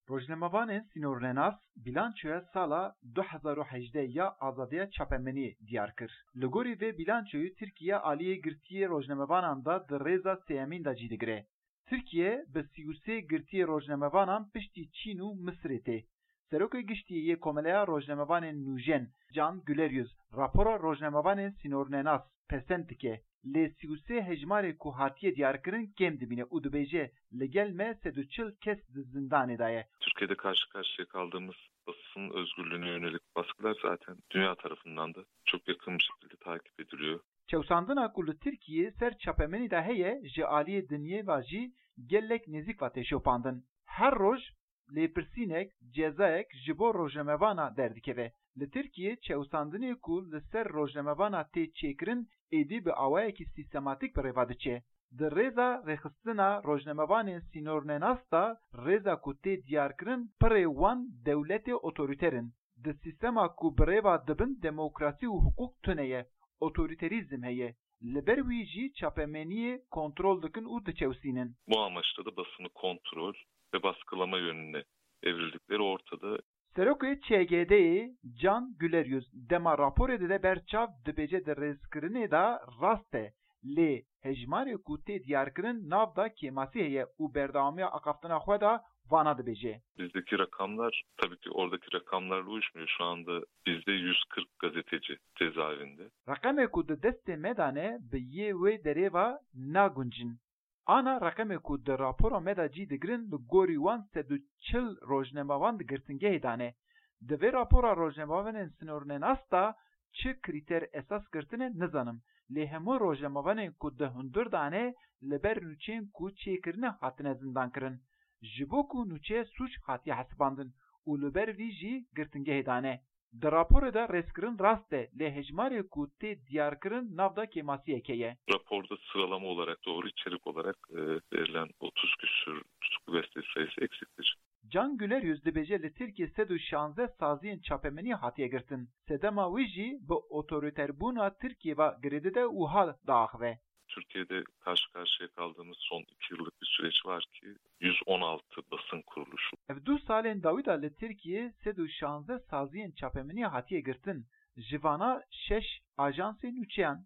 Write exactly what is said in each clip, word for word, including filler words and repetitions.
Rojnamevanên sînornenas bîlançoya sala du hezar û hejdeh ya azadiya çapemeniyê diyar kir. Li gorî vê bîlançoyê Tirkiye aliyê girtiyê rojnamevanan de di rêza sêyemîn de cî digire. Tirkiye bi sî û sê girtiyê rojnamevanan piştî Çîn û Misirê tê. Serokê Giştî yê Komeleya Rojnamevanên Nûjen Can Güleryüz rapora rojnamevanên sînornenas pesend dike, lê sî û sê hejmarê ku hatiye diyarkirin kêm dimîne û dibêje, li gel me sed û çil kes di zindanê de ye. Türkiye'de karşı karşıya kaldığımız basın özgürlüğüne yönelik baskılar zaten dünya tarafından da çok yakın bir şekilde takip ediliyor. Çewsandina ku li Tirkiyê ser çapemenî de heye, ji aliyê dinyê ve jî gelek nêzîk ve tê şopandin. Her roj lêpirsînek, cezayek ji bo rojnamevana derdikeve. Li Tirkiyê çewsandinê ku li ser rojnamevana tê çêkirin êdî bi awayekî sîstematîk bi rêva diçe. Di rêza rêxistina rojnamevanên sînornenas de rêza ku tê diyarkirin pirê wan dewletê otorîter in. Di sîstema ku bi rêva dibin demokrasî û hiqûq tune ye, otorîterîzm heye. Li ber wî jî çapemeniyê kontrol dikin û diçewsînin. Bu amaçla da basını kontrol ve baskılama yönüne evrildikleri ortada. Serokê Ç G D'yê Can Güleryüz dema raporê dide ber çav dibêje di rêzkirinê de rast e, lê hejmarê ku tê diyarkirin nav de kêmasî heye û berdewamiya axaftina xwe de vana dibêje. Bizdeki rakamlar tabii ki oradaki rakamlarla uyuşmuyor. Şu anda bizde yüz kırk gazeteci cezaevinde. Reqemê ku di destê me de ne bi yê wê derê ve naguncin. Ana reqemê ku di rapora me de cî digirin li gorî wan sed û çil rojnamevan di girtingehê de ne. Di vê rapora rojnamevanên sînornenas de çi krîter esas girtine nizanim, lê hemû rojnamevanên ku di hundir de ne li ber nûçeyên ku çêkirine hatine zindankirin. Ji bo ku nûçe sûc hatiye hesibandin û li ber vî jî girtingehê de ne. Di raporê de rêzkirin rast e, lê hejmarê ku tê diyarkirin nav de kêmasiyeke ye. Raporda sıralama olarak, doğru içerik olarak e, verilen otuz küsür tutuklu gazeteci sayısı eksiktir. Can Güleryüz dibêje li Tirkiye sed û şanzdeh saziyên çapemeniyê hatiye girtin. Sedema wî jî bi otorîterbûna Tirkiye ve girêdide û hal diaxive. Türkiye'de karşı karşıya kaldığımız son iki yıllık bir süreç var ki yüz on altı basın kuruluşu. Ev du salên dawî de li Tirkiyê sed û şanzdeh saziyên çapemeniyê hatiye girtin. Ji vana şeş ajansên nûçeyan,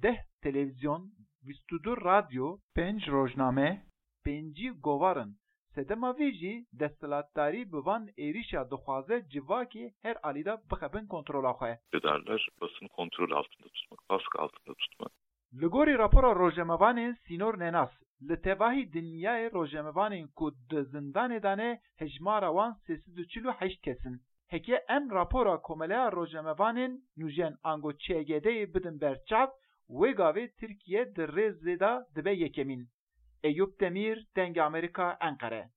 deh televîzyon, bîst û du radyo, pênc rojname, pêncî govar in. Sedema vê jî desthilatdarî bi van êrîşa dixwaze civakê her alî de bixe bin kontrola xwe. Darlar basını kontrol altında tutmak, baskı altında tutmak. Li gorî rapora rojnamevanên sînornenas, li tevahî dinyayê rojnamevanên ku di zindanê de ne hejmara wan sê sed û çil û heşt kes in. Heke em rapora Komeleya Rojnamevanên Nûjen ango Ç G D'yê bidin ber çav, wê gavê Tirkiye di rêzê de dibe yekemîn. Eyûp Demîr, Dengê Amerîka, Enqere.